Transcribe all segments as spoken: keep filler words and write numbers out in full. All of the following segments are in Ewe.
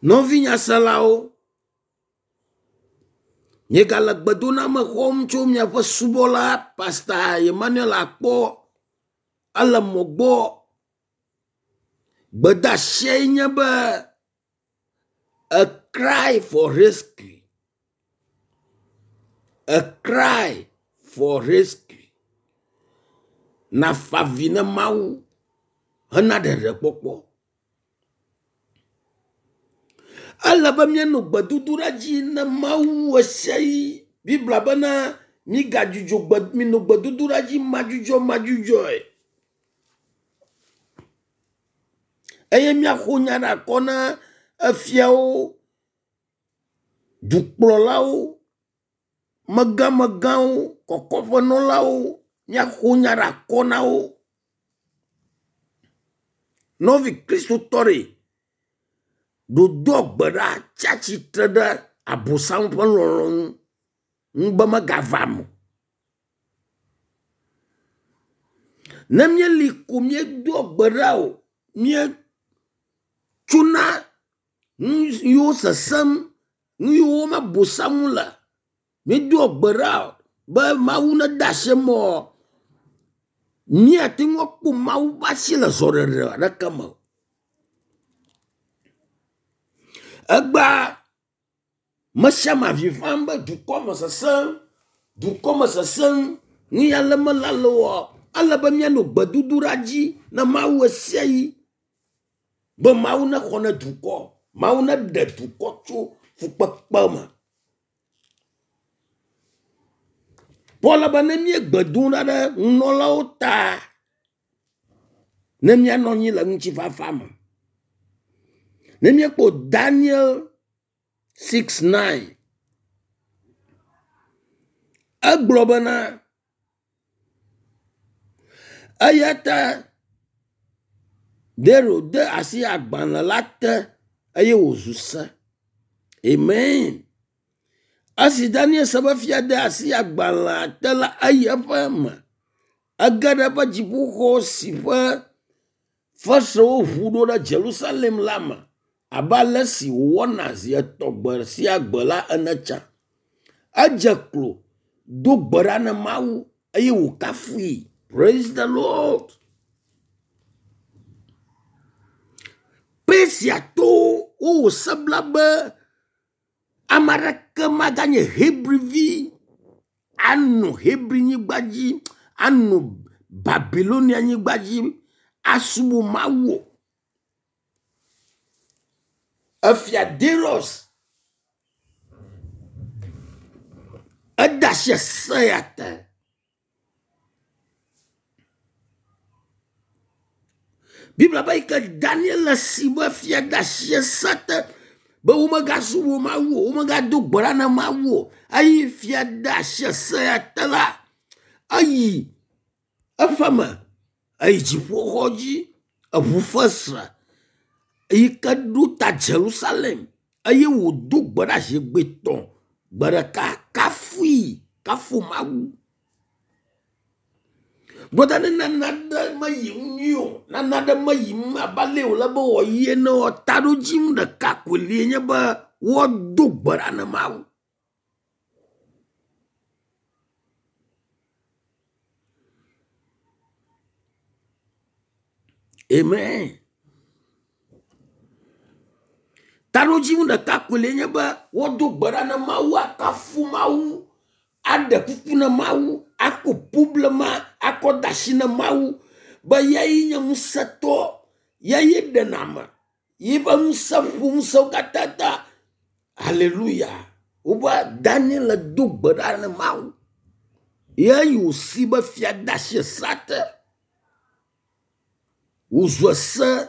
Nɔvi nyaselawo, miegale gbedoname xɔm tso miaƒe subɔla Pastor Emmanuel Akpɔ ele mɔ gbɔ. Gbedeasie nye be a cry for rescue. A cry for rescue. Nafa avi ne Mawu hena ɖeɖekpɔkpɔ. Ele be míanɔ gbedodoɖa dzi ne Mawu ɣe sia ɣi. Biblia bena migadzudzɔ gbe minɔ gbedodoɖa dzi madzudzɔ madzudzɔe. Eye míaƒo nya ɖe akɔ na efiawo, dukplɔlawo, megamegãwo, kɔkɔƒenɔlawo, míaƒo nya ɖe akɔ na wo. Nɔvi kristotɔ ɖe, ɖodoa gbe ɖa tsi atsitre ɖe abosam ƒe lɔlɔ̃nu ŋu be megava eme o. Ne míeli ko míedoa gbe ɖa o, míetsona nu yiwo sesẽm, nu yiwo me abosam le, míedoa gbe ɖa o be Mawu nede asi eme oa, míate ŋu akpɔ Mawu ƒe asi le zɔɖeɖe aɖeke me o. Egbea me sia ame avi fam be dukɔ me sesẽm, dukɔ me sesẽm, nu ya le mele ale oa, ele be míanɔ gbedodoɖa dzi na Mawu ɣe sia ɣi be Mawu nexɔ na dukɔ, Mawu neɖe dukɔ tso fukpekpe me. Paul be ne míegbe dom ɖa ɖe nunɔlawo ta ne míanɔ anyi le ŋutifafa me. Ne míekpɔ Daniel six nine, egblɔ bena eya ta Dario de asi agbalẽ la te eye wòzu se. Amen. Esi Daniel se be fia de asi agbalẽa te la, eyi eƒe me. Ege ɖe eƒe dziƒoxɔ si ƒe fesrewo ʋu ɖo ɖe Jerusalem la me abe ale si wòwɔna zi etɔ̃ gbe sia gbe la ene tsã. Edze klo do gbe ɖa na Mawu eye wòkafui. Praise the Lord. Persiatɔwo wowɔ se bla be ame aɖeke maganye Hebrivi anɔ Hebri-nyigba dzi, anɔ Babilonia-nyigba dzi asubɔ Mawu o. Efia Darius ede asi ese ya te. Biblia be yi ke Daniel le si be fia de asi ese te be womegasubɔ Mawu o, womegado gbe ɖa na Mawu o. Eye fia de asi ese ya te la, eyi eƒe me, eyi dziƒoxɔ dzi, eʋu fesre yi ke ɖo ta Jerusalem eye wòdo gbe ɖa zi gbetɔ̃ gbe ɖeka kafui, kafu Mawu. Brɔda ne nane aɖe meyi nyuie o, nane aɖe meyi abe ale wòle be wòayi ene o, taɖodzinu ɖeka koe li nye be woado gbe ɖa na Mawu. Amen. Taɖodzinu ɖeka koe li nye be woado gbe ɖa na Mawu, akafu Mawu, aɖe kuku na Mawu, akɔ problema akɔ de asi na Mawu be yae nye ŋusẽtɔ, yae ɖena ame, yiƒe ŋusẽ ƒo ŋusẽwo katã ta. Hallelujah. Wobe Daniel do gbe ɖa na Mawu. Ye wòsi be fia de asi esea te. Wòzu ese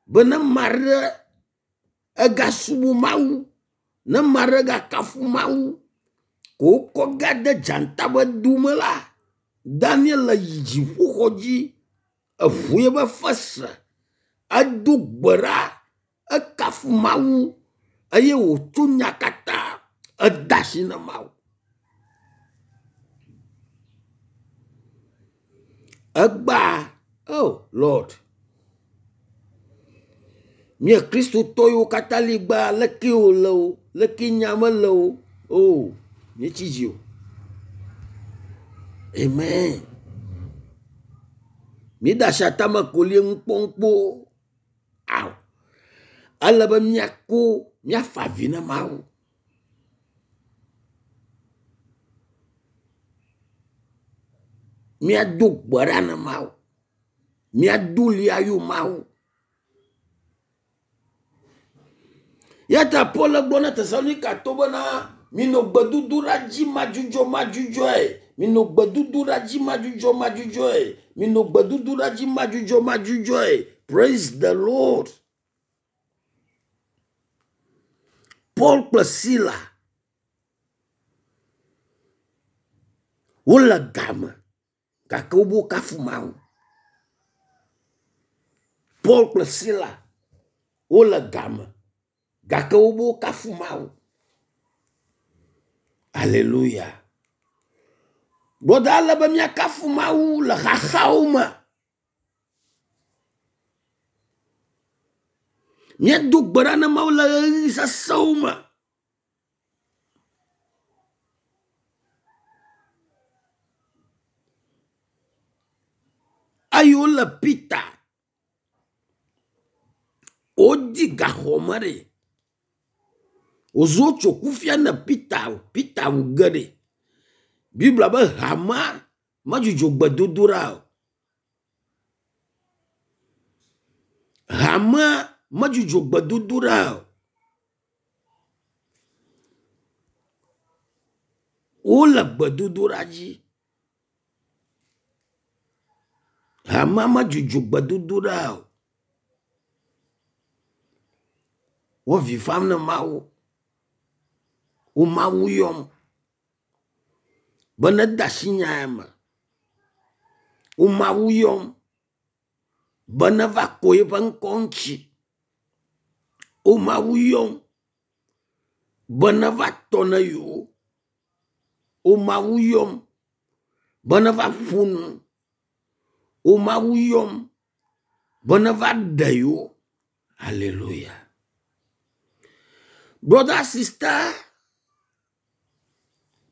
be ne ame aɖe egasubɔ Mawu, ne ame aɖe gakafu Mawu, ko wokɔ ga de dzata ƒe dome la, Daniel yi dziƒoxɔ dzi, eʋu eƒe fesre, edo gbe ɖa, ekafu Mawu eye wòtso nya katã ede asi na Mawu. Egbea, oh Lord, Mía kristotɔ yiwo katã li gbea leke wòle o, leke nya mele o, o míetsi dzi o. Amen. Míede asi atame kolie ŋu kpɔm kpo. Ao. Ele be míako míafa avi na Mawu. Míado gbe ɖa na Mawu. Míado ɣli ayɔ Mawu. Ya ta Paul gblɔ na Tesalonikatɔwo bena minɔ gbedodoɖa dzi madzudzɔ madzudzɔe. Minɔ gbedodoɖa dzi madzudzɔ madzudzɔe. Minɔ gbedodoɖa dzi madzudzɔ madzudzɔe. Praise the Lord. Paul kple Sila wole game gake wobe kafu Mawu. Paul kple Sila wole game gake wobe kafu Mawu. Alléluia. Brɔda ele be míakafu Mawu le xaxawo me. Míado gbe ɖa na Mawu le ɣeyiɣi sesẽwo me. Eye wole Peter wodi gaxɔme ɖe. Wòzu wotso kufia ne Peter o. Peter wu ge ɖe. Biblia be hamea medzudzɔ gbedodoɖa o. Hamea medzudzɔ gbedodoɖa o. Wole gbedodoɖa dzi. Hamea medzudzɔ gbedodoɖa o. Wo vi fam na Mawu. Wo Mawu yɔm be nede asi nya ya me. Wo Mawu yɔm be neva kɔ yeƒe ŋkɔ ŋuti. Wo Mawu yɔm be neva tɔ na yewo. Wo Mawu yɔm be neva ƒo nu. Wo Mawu yɔm be neva ɖe yewo. Alléluia. Brother, sister,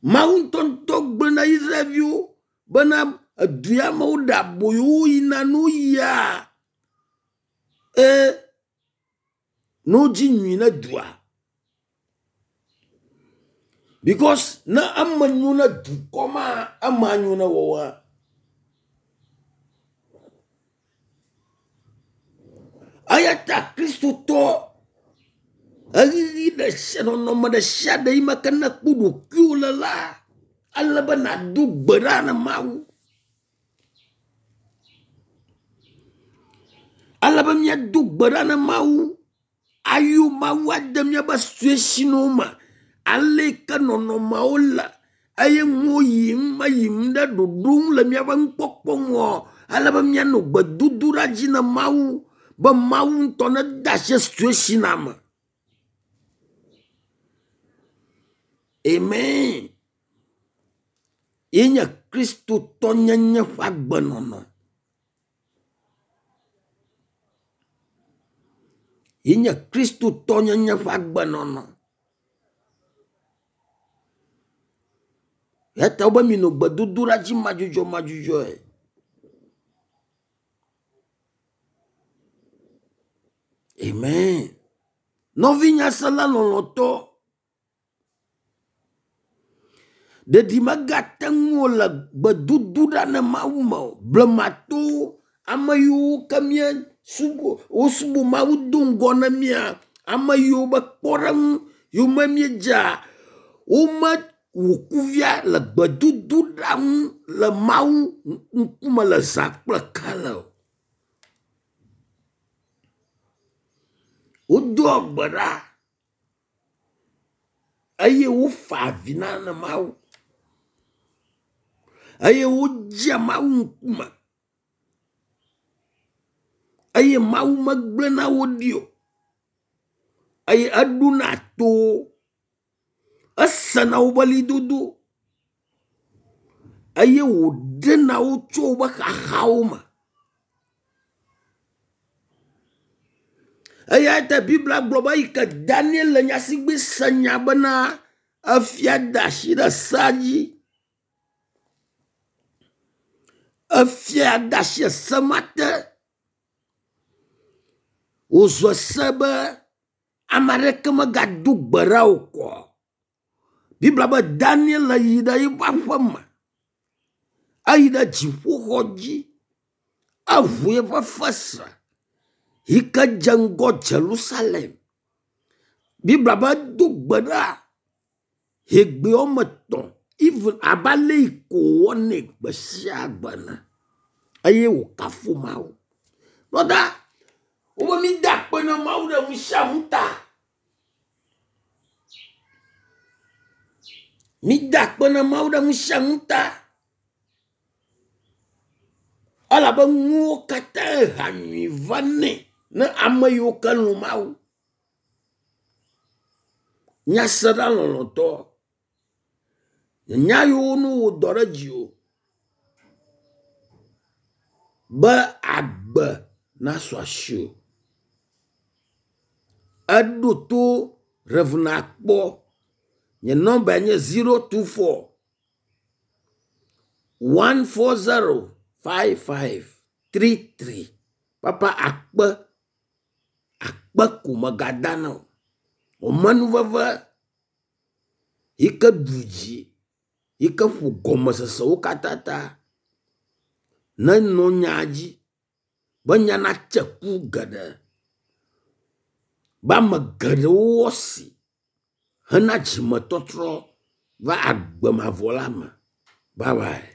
Mawu ŋutɔŋutɔ gblɔ na Israelviwo bena edu ya me woɖe aboyo wo yina ne woyia e ne wodzi nyui ne dua. Because ne eme nyo na dukɔ ma, ema nyo na woawo. Eya ta kristotɔ ɣeyiɣi ɖe sia nɔnɔme ɖe sia ɖe yi me ke nekpɔ ɖokuiwò le la, ele be nàdo gbe ɖa na Mawu. Ele be míado gbe ɖa na Mawu. Ayɔ Mawu ade míaƒe situationwo me. Ale yi ke nɔnɔmeawo le eye nuwo yim meyim ɖe ɖoɖo ŋu le míaƒe nukpɔkpɔ ŋua, ele be míanɔ gbedodoɖa dzi na Mawu be Mawu ŋutɔ nede asi situationa me. Amen. Ye nye kristotɔnyenye ƒe agbenɔnɔ. Ye nye kristotɔnyenye ƒe agbenɔnɔ. Ya ta wobe minɔ gbedodoɖa dzi madzudzɔ madzudzɔe. Amen. Nɔvinyasela lɔlɔ̃tɔ, ɖeɖi megate ŋu le gbedodoɖa na Mawu me o. Blematowo, ame yiwo ke mía subɔ wosubɔ Mawu do ŋgɔ na mía, ame yiwo be kpɔɖeŋu yiwo me míedzea, womewɔ kuvia le gbedodoɖa ŋu le Mawu ŋkume le zã kple kele o. Wodoa gbe ɖa eye wofa avi na Mawu eye wodzea Mawu ŋkume eye Mawu megblẽna wo ɖi o eye eɖona to wo. Esena woƒe ɣlidodo eye wòɖena wo tso woƒe xaxawo me. Eya ta Biblia gblɔ be eyi ke Daniel le nyasigbe se nya bena efia da asi ɖe sea dzi. Efia de asi ese ma te. Wòzu ese be ame aɖeke megado gbe ɖa o kɔ. Biblia be Daniel yi ɖe eƒe aƒe me. Eyi ɖe dziƒoxɔ dzi. Eŋu eƒe fesre yi ke dze ŋgɔ Yerusalem. Biblia be edo gbe ɖa ʋegbe woame etɔ̃ even abe ale yi ko wòwɔnɛ gbe sia gbe ene eye wòkafu Mawu. Kpɔ wobe mida akpe na Mawu ɖe nu sia nu ta. Mida akpe na Mawu ɖe nu sia nu ta. Elabe nuwo katã hea nyui vanɛ ne ame yiwo ke lɔ̃ Mawu. Nyasela lɔlɔ̃tɔ, nya yiwo ne wɔ dɔ ɖe dziwò be agbe nasu asiwò. Eɖo to Rev. Akpɔ. Nye nɔmbae nye zero two four one four zero five five three three. Papa akpe akpe ko megada na wò. Wò amenuveve yi ke ɖu dzi yi ke ƒo gɔmesesewo katã ta nenɔ nya dzi be nya natse ku geɖe be ame geɖewo woasi hena dzimetɔtrɔ va agbe mavɔ la me. Bye bye.